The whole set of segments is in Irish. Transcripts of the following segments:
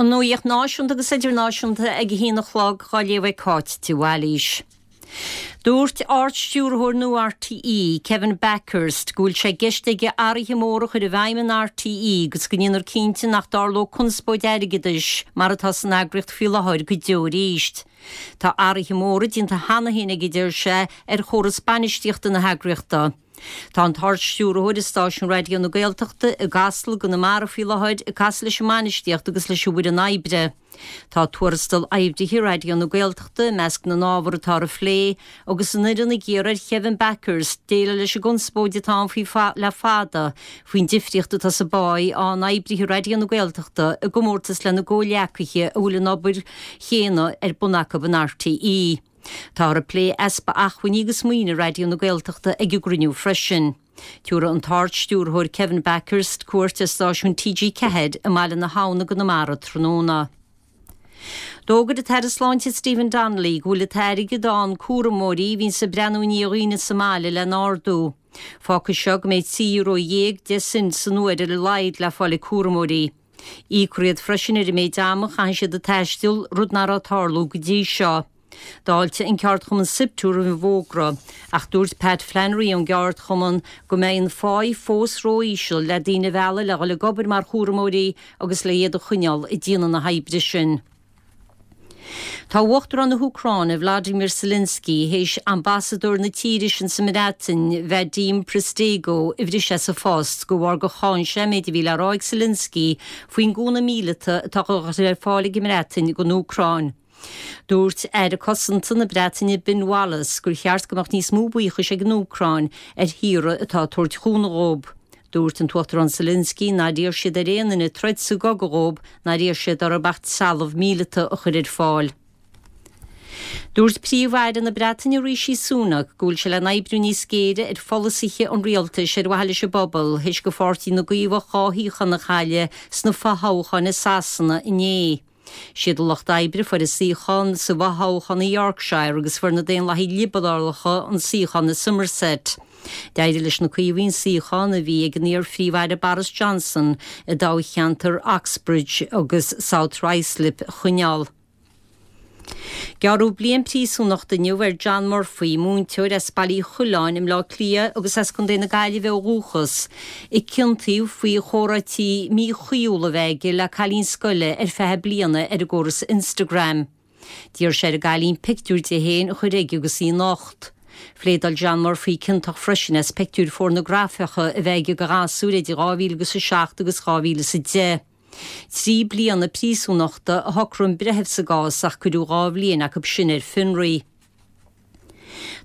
An nuacht náisiúnta agus idirnáisiúnta ag a haon a chlog dhá léamh ag Cáit de Bhailís. Dúirt Ard-Stiúrthóir nua RTÉ, Kevin Bakhurst, go bhfuil sé i gceist aige athruithe móra a chur i bhfeidhm in RTÉ agus go ndéanfar cinnte nach dtarlóidh conspóid airgeadais mar atá san eagraíocht faoi láthair go deo arís. Tá athruithe móra déanta cheana féin aige, a deir sé, ar chóras bainistíochta na heagraíochta. Tá an tArd-Stiúrthóir i stáisiún Raidió na Gaeltachta i gCasla i gConamara faoi láthair ag casadh leis an mbainistíocht agus leis an bhfoireann oibre. Tá tuarastal oibrithe Raidió na Gaeltachta i measc na n-ábhar atáthar a phlé, agus an fhoireann ag iarraidh ar Kevin Bakhurst déileáil leis an gconspóid atá ann faoi le fada faoin difríocht atá sa bpáí a fhaigheann oibrithe Raidió na Gaeltachta i gcomórtas lena gcomhghleacaithe a bhfuil an obair chéanna ar bun acu in RTÉ. Táthar ag plé easpa acmhainní agus maoine Raidió na Gaeltachta ag an gcruinniú freisin. Tabharfaidh an tArd-Stiúrthóir Kevin Bakhurst cuairt ar stáisiún TG4 i mBaile na hAbhann i gConamara tráthnóna. D'fhógair an tAire Sláinte Stephen Donnelly go bhfuil an t-airgead a fhaigheann cúramóirí a bhíonns ag breathnú i ndiaidh dhaoine sa mbaile le n-ardú. Fágfaidh seo go mbeidh €13.10 san uair ar a laghad le fáil ag cúramóirí. Íocfar iad freisin ar an méid ama a chaitheann siad ag taisteal, rud nach raibh ag tarlú go dtí seo. D'fháiltigh an ceardchumann Siptu roimh an bhfógra, ach dúirt Pat Flannery ón gceardchumann go mbeidh an pháí fós ró-íseal le daoine a mhealladh le dhul ag obair mar chúramóirí agus le iad a choinneáil ag déanamh na hoibre sin. Tá Uachtarán na hÚcráine, Vladimir Zelensky, théis ambasadóir na tíre sin sa mBreatain, Vadim Prystaiko, a bhriseadh as a phost de bharr gur cháin sé an méid a bhí le rá ag Zelensky faoin gcúnamh míleata atá á chur ar fáil ag an mBreatain don Úcráin. Dúirt Aire Cosanta na Breataine Ben Wallace gur cheart go mbeadh níos mó buíochais ag an Úcráin ar thíortha atá ag tabhairt chúnamh dhób. Dúirt an tUachtarán Zelensky nár iarr siad ar aon duine troid sa gcogadh dhób, nár iarr siad orthu ach trealamh míleata a chur ar fáil. Dúirt Príomh-Aire na Breataine Rishi Sunak go bhfuil sé le n-oibriú níos géire ar pholasaithe an rialtais ar mhaithe leis an bpobal théis do Pháirtí na gCaomhach 2 shuíochán a chailleadh sna fothoghcháin i Sasana inné. Siad an Lucht Oibre a fuair an suíochán sa bhfothoghchán i Yorkshire agus fuair na Daonlathaigh Liobarálacha an suíochán i Somerset. D'éirigh leis na Caomhaigh an suíochán a bhí ag an iar-Phríomh-Aire Boris Johnson i dtoghcheantar Uxbridge agus South Ruislip a choinneáil. Gearradh bliain príosúnachta inniu ar John Murphy, múinteoir as Baile Uí Choileáin i mBleá Cliath agus as Contae na Gaillimhe ó dhúchas, a ciontaíodh faoi chomhráití míchuíúla a bheith aige le cailín scoile ar feadh bliana ar an gcóras Instagram. D'iarr sé ar an gcailín pictiúr di féin a chur chuige agus í nocht. Phléadáil John Murphy ciontach freisin as pictiúir phornagrafacha a bheith aige de ghasúir idir 2007 agus 2010. 3 bliana príosúnachta a shocraigh an breitheamh sa gcás ach cuireadh 2 bhliain acu sin ar fionraí.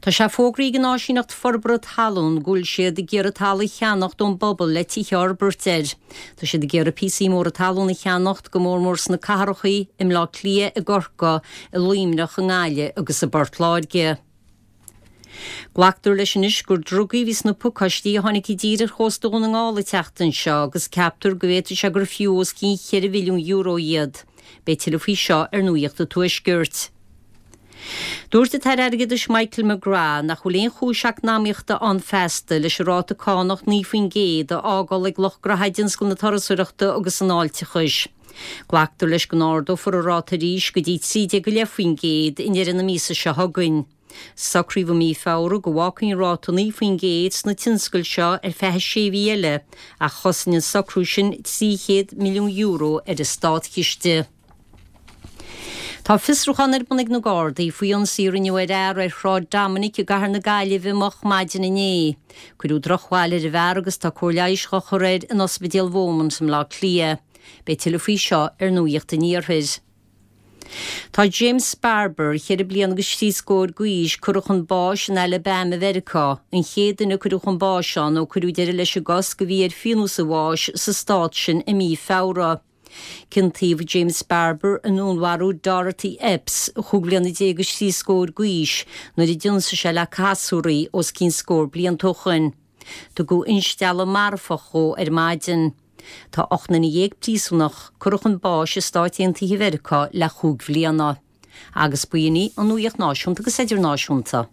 Tá sé fógraithe ag an Áisíneacht Forbartha Talún go bhfuil siad ag iarraidh talamh a cheannacht ón bpobal le tithe a fhorbairt air. Tá siad ag iarraidh píosaí móra talún a cheannacht, go mór mór sna cathracha, i mBleá Cliath, i gCorcaigh, i Luimneach, i nGaillimh agus i bPort Láirge. Glactar leis anois gur drugaí a bhí sna pacáistí a tháinig i dtír ar chósta Dhún na nGall an tseachtain seo agus ceaptar go bhféadfadh sé gur fiú os cionn €4 mhilliún iad. Beidh tuilleadh faoi seo ar Nuacht an Tuaiscirt. Dúirt an tAire Airgeadais Michael McGrath nach bhfuil aon chúis eacnamaíochta ann feasta leis an ráta cánach 9% a fhágáil ag lucht gnoithe i dtionscal na turasóireachta agus an fháilteachais. Glactar leis go n-ardófar an ráta arís go dtí 13.5% i ndeireadh na míosa seo chugainn. Socraíodh i mí Feabhra go bhfágfaí an ráta 9% sna tionscail seo ar feadh sé mhí eile ach chosain an socrú sin €300 milliún ar an státchiste. Tá fiosrúchán ar bun ag na Gardaí faoi ionsaí a rinneadh ar fhear ar Shráid Dominic i gcathair na Gaillimhe moch maidin inné. Cuireadh drochbhail ar an bhfear agus tá cóir leighis á chur air in Ospidéal Bheaumont i mBleá Cliath. Beidh tuilleadh faoi seo ar Nuacht an Iarthair. Tá James Barber, cheithre bliana agus thrí scór d'aois, curtha chun báis in Alabama Mheiriceá, an chéad duine a cuireadh chun báis ann ó cuireadh deireadh leis an gcosc a bhí ar phionós an bháis sa stát sin i mí Feabhra. Ciontaíodh James Barber i ndúnmharú Dorothy Epps, chúig bhliana déag is thrí scór d'aois, nuair a d'ionsaigh sé le casúr í os cionn scór blianta ó shoin. Tugadh instealladh marfach dhó ar maidin. Tá 18 nduine príosúnach curtha chun báis i Stáit Aontaithe Mheiriceá le chúig bhliana. Agus b'in í an nuacht náisiúnta agus idirnáisiúnta.